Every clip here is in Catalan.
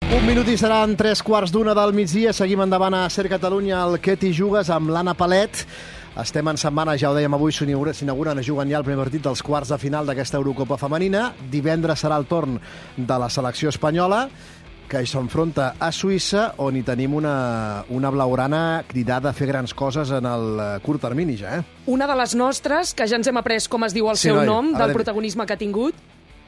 Un minut i seran 3:15 del migdia. Seguim endavant a Ser Catalunya, el Què t'hi jugues, amb l'Anna Palet. Estem en setmana, ja ho dèiem avui, s'inauguren, juguen ja el primer partit dels quarts de final d'aquesta Eurocopa femenina. Divendres serà el torn de la selecció espanyola, que s'enfronta a Suïssa, on hi tenim una blaugrana cridada a fer grans coses en el curt termini, ja, eh? Una de les nostres, que ja ens hem après com es diu el seu nom, del protagonisme que ha tingut,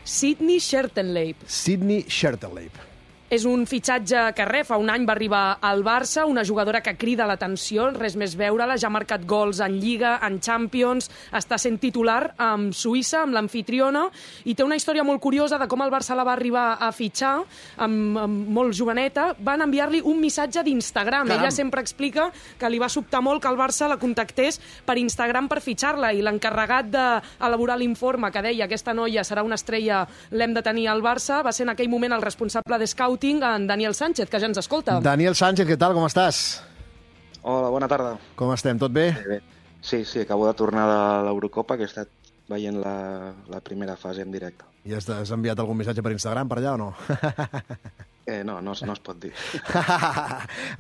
Sydney Schertenleib. Sydney Schertenleib. És un fitxatge que fa un any va arribar al Barça, una jugadora que crida l'atenció, res més veure-la, ja ha marcat gols en Lliga, en Champions, està sent titular amb Suïssa, amb l'amfitriona, i té una història molt curiosa de com el Barça la va arribar a fitxar, amb molt joveneta. Van enviar-li un missatge d'Instagram. Ella sempre explica que li va sobtar molt que el Barça la contactés per Instagram per fitxar-la, i l'encarregat d'elaborar l'informe que deia aquesta noia serà una estrella, l'hem de tenir al Barça, va ser en aquell moment el responsable de Scout, en Daniel Sánchez, que ja ens escolta. Daniel Sánchez, què tal? Com estàs? Hola, bona tarda. Com estem? Tot bé? Bé. Sí, acabo de tornar de l'Eurocopa, que he estat veient la primera fase en directe. I has enviat algun missatge per Instagram per allà o no? No es pot dir.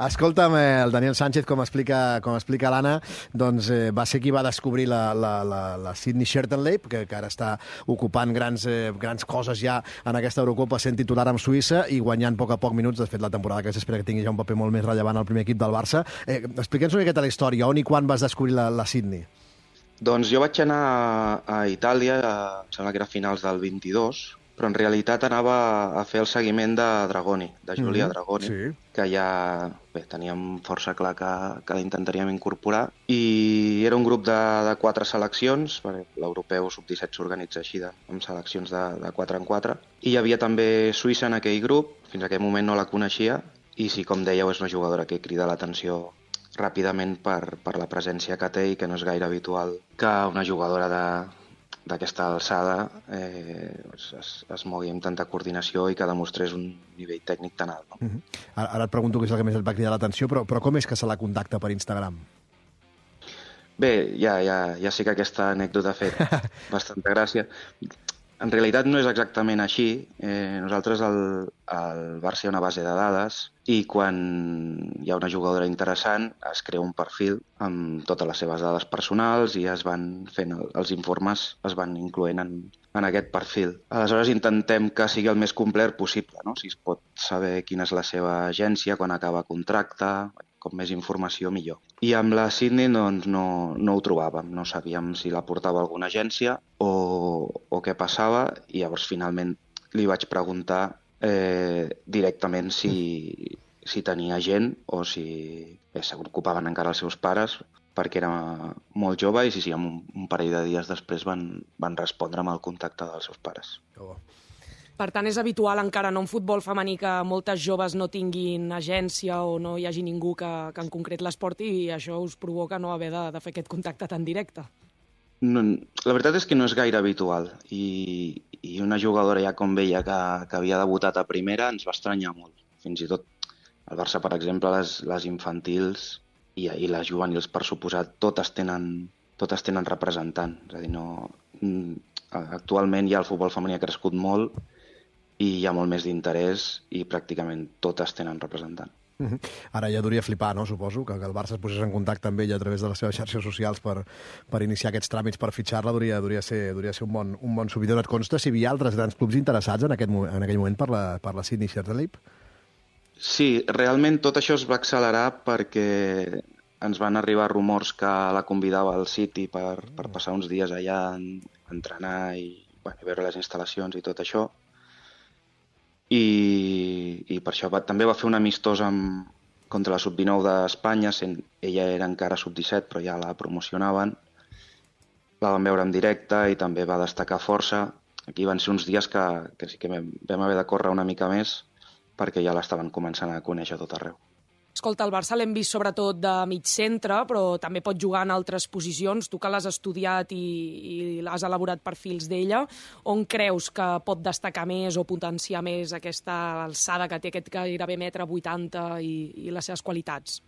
Escolta'm, el Daniel Sánchez, com explica l'Anna, doncs va ser qui va descobrir la Sydney Schertenleib, que ara està ocupant grans coses ja en aquesta Eurocopa, sent titular amb Suïssa i guanyant a poc minuts. De fet, la temporada que s'espera que tingui ja un paper molt més rellevant al primer equip del Barça. Explica'ns una miqueta la història. On i quan vas descobrir la Sydney? Doncs jo vaig anar a Itàlia, em sembla que era a finals del 22, però en realitat anava a fer el seguiment de Dragoni, de Giulia Dragoni, sí, que ja teníem força clar que l'intentaríem incorporar. I era un grup de 4 seleccions, perquè l'europeu sub-17 s'organitza així, amb seleccions de 4 en 4. I hi havia també Suïssa en aquell grup, fins a aquell moment no la coneixia, i sí, com dèieu, és una jugadora que crida l'atenció ràpidament per la presència que té, i que no és gaire habitual que una jugadora d'aquesta alçada es mogui amb tanta coordinació i que demostrés un nivell tècnic tan alt. No? Ara et pregunto què és el que més et va cridar l'atenció, però com és que se la contacta per Instagram? Bé, ja sé que aquesta anècdota ha fet bastanta gràcia. En realitat no és exactament així. Nosaltres al Barça hi ha una base de dades i quan hi ha una jugadora interessant es crea un perfil amb totes les seves dades personals i es van fent els informes, es van incloent en aquest perfil. Aleshores intentem que sigui el més complet possible, no? Si es pot saber quina és la seva agència, quan acaba contracte, com més informació millor. I amb la Sydney doncs, no ho trobàvem, no sabíem si la portava alguna agència o què passava, i llavors finalment li vaig preguntar directament si tenia gent o si se preocupaven encara els seus pares, perquè era molt jove, i sí, un parell de dies després van respondre amb el contacte dels seus pares. Per tant, és habitual encara en futbol femení que moltes joves no tinguin agència o no hi hagi ningú que en concret les porti, i això us provoca no haver de fer aquest contacte tan directe. No, la veritat és que no és gaire habitual, i una jugadora ja com veia que havia debutat a primera ens va estranyar molt. Fins i tot al Barça, per exemple, les infantils i les juvenils, per suposat, totes tenen representant. És a dir, actualment ja el futbol femení ha crescut molt i hi ha molt més d'interès i pràcticament totes tenen representant. Ara ja duria flipar, no? Suposo, que el Barça es posés en contacte amb ella a través de les seves xarxes socials per iniciar aquests tràmits per fitxar-la. Duria ser un bon subidor. Et consta si hi havia altres grans clubs interessats en aquell moment per la Sydney Schertenleib? Sí, realment tot això es va accelerar perquè ens van arribar rumors que la convidava al City per passar uns dies allà a entrenar i veure les instal·lacions i tot això. I per això també va fer un amistós contra la sub-19 d'Espanya, ella era encara sub-17 però ja la promocionaven, la vam veure en directe i també va destacar força. Aquí van ser uns dies que sí que vam haver de córrer una mica més perquè ja l'estaven començant a conèixer a tot arreu. Escolta, el Barça l'hem vist sobretot de mig centre, però també pot jugar en altres posicions. Tu que l'has estudiat i has elaborat perfils d'ella, on creus que pot destacar més o potenciar més aquesta alçada que té, aquest gairebé 1,80 m i les seves qualitats?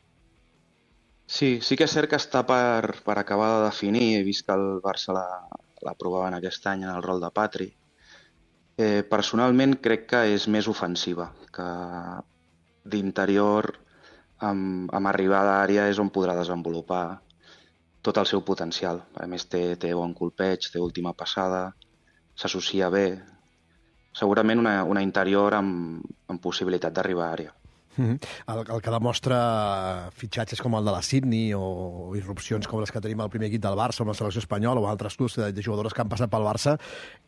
Sí que és cert que està per acabar de definir. He vist que el Barça la provaven aquest any en el rol de Patri. Personalment crec que és més ofensiva, que d'interior amb arribada a l'àrea és on podrà desenvolupar tot el seu potencial. A més, té bon colpeig, té última passada, s'associa bé. Segurament una interior amb possibilitat d'arribar a àrea. El que demostra fitxatges com el de la Sydney o irrupcions com les que tenim al primer equip del Barça o la selecció espanyola o altres clubs de jugadores que han passat pel Barça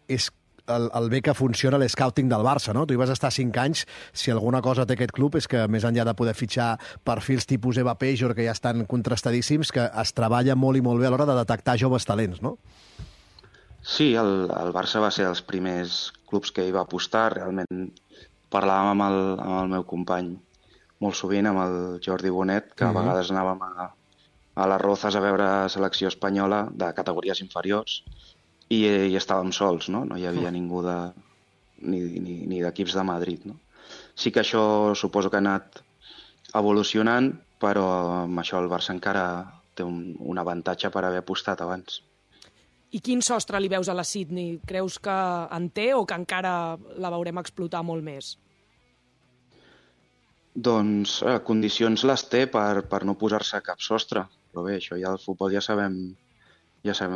és el bé que funciona l'escouting del Barça, no? Tu hi vas estar 5 anys, si alguna cosa té aquest club és que més enllà de poder fitxar perfils tipus Eva Pejor, que ja estan contrastadíssims, que es treballa molt i molt bé a l'hora de detectar joves talents, no? Sí, el Barça va ser dels primers clubs que hi va apostar. Realment parlàvem amb el meu company molt sovint, amb el Jordi Bonet, que a vegades anàvem a les Rozas a veure selecció espanyola de categories inferiors i estàvem sols, no? No hi havia ningú ni d'equips de Madrid, no? Sí que això suposo que ha anat evolucionant, però amb això el Barça encara té un avantatge per haver apostat abans. I quin sostre li veus a la Sydney? Creus que en té o que encara la veurem explotar molt més? Doncs condicions les té per no posar-se cap sostre, però bé, això ja al futbol ja sabem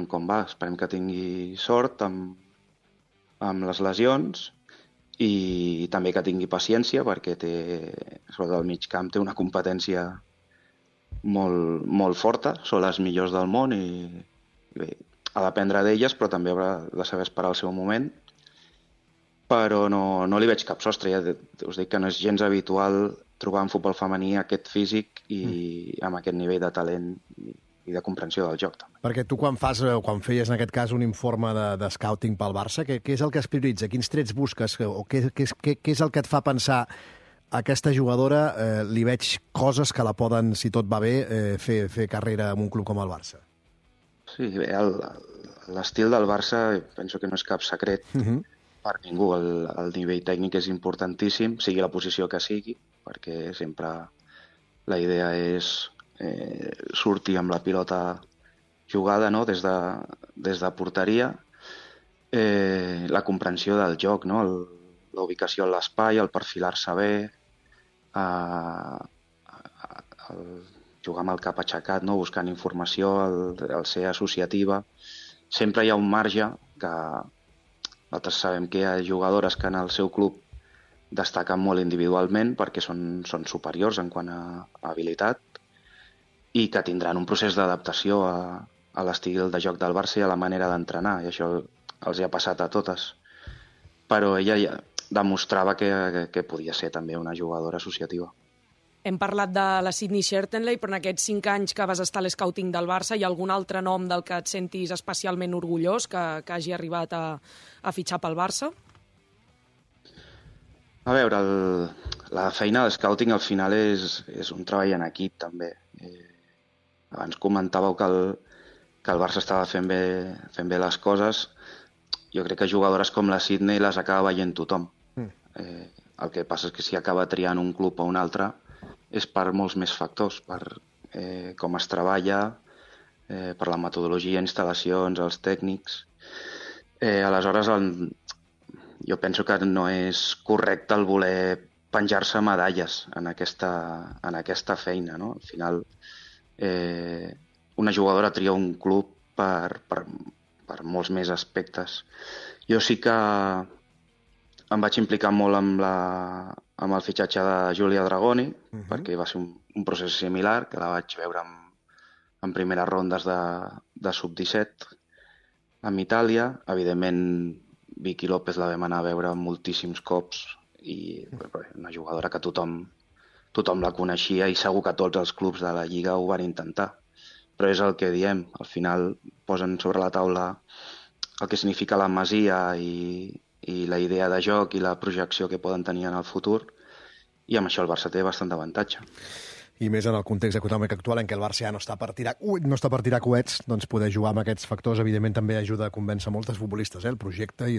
com va. Esperem que tingui sort amb les lesions i també que tingui paciència perquè sobretot al mig camp té una competència molt, molt forta, són les millors del món i bé, ha d'aprendre d'elles, però també haurà de saber esperar el seu moment. Però no li veig cap sostre. Ja us dic que no és gens habitual trobar en futbol femení aquest físic i amb aquest nivell de talent i de comprensió del joc, també. Perquè tu quan feies en aquest cas un informe de scouting pel Barça, què és el que es prioritza? Quins trets busques? O què és el que et fa pensar aquesta jugadora li veig coses que la poden, si tot va bé, fer carrera en un club com el Barça? Sí, bé, l'estil del Barça penso que no és cap secret per ningú. El nivell tècnic és importantíssim, sigui la posició que sigui, perquè sempre la idea és sortir amb la pilota jugada, no? des de porteria, la comprensió del joc, no? La ubicació en l'espai, el perfilar-se bé, el jugar amb el cap aixecat, no? Buscant informació, el ser associativa. Sempre hi ha un marge que nosaltres sabem que hi ha jugadores que en el seu club destaquen molt individualment perquè són superiors en quant a habilitat i que tindran un procés d'adaptació a l'estil de joc del Barça i a la manera d'entrenar, i això els hi ha passat a totes. Però ella ja demostrava que podia ser també una jugadora associativa. Hem parlat de la Sydney Schertenley, però en aquests 5 anys que vas estar a l'escouting del Barça, hi ha algun altre nom del que et sentis especialment orgullós que hagi arribat a fitxar pel Barça? A veure, la feina de scouting al final és un treball en equip, també. Abans comentàveu que el Barça estava fent bé les coses. Jo crec que jugadores com la Sydney les acaba veient tothom. El que passa és que si acaba triant un club o un altre és per molts més factors, per com es treballa, per la metodologia, instal·lacions, els tècnics. Aleshores, jo penso que no és correcte el voler penjar-se medalles en aquesta feina, no? Al final, una jugadora tria un club per molts més aspectes. Jo sí que em vaig implicar molt amb el fitxatge de Giulia Dragoni, perquè va ser un procés similar, que la vaig veure en primeres rondes de sub-17 amb Itàlia. Evidentment, Vicky López la vam anar a veure moltíssims cops i una jugadora que tothom la coneixia i segur que tots els clubs de la Lliga ho van intentar. Però és el que diem, al final posen sobre la taula el que significa la Masia i la idea de joc i la projecció que poden tenir en el futur, i amb això el Barça té bastant d'avantatge. I més en el context econòmic actual en què el Barça ja no està per tirar coets, doncs poder jugar amb aquests factors evidentment també ajuda a convèncer moltes futbolistes, el projecte i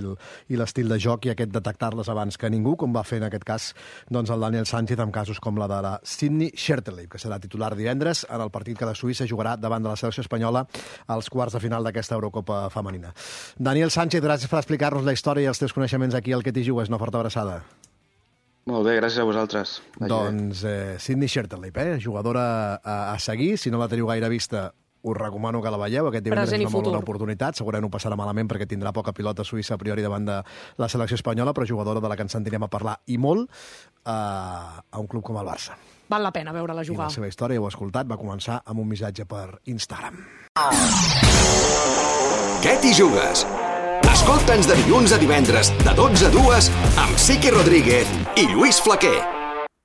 l'estil de joc i aquest detectar-les abans que ningú, com va fer en aquest cas doncs el Daniel Sánchez amb casos com la de la Sydney Scherteley, que serà titular divendres en el partit que la Suïssa jugarà davant de la selecció espanyola als quarts de final d'aquesta Eurocopa femenina. Daniel Sánchez, gràcies per explicar-nos la història i els teus coneixements aquí al Que t'hi jugues. Una forta abraçada. Molt bé, gràcies a vosaltres. Doncs Sydney Scherteley, jugadora a seguir. Si no la teniu gaire vista, us recomano que la veieu. Aquest divendres és una molt bona oportunitat. Segurament ho passarà malament perquè tindrà poca pilota suïssa a priori davant de la selecció espanyola, però jugadora de la que ens sentirem a parlar i molt a un club com el Barça. Val la pena veure-la jugar. I la seva història, ho he escoltat, va començar amb un missatge per Instagram. Què t'hi jugues? Escolta'ns de dilluns a divendres, de 12 a 2, amb Siqui Rodríguez i Lluís Flaquer.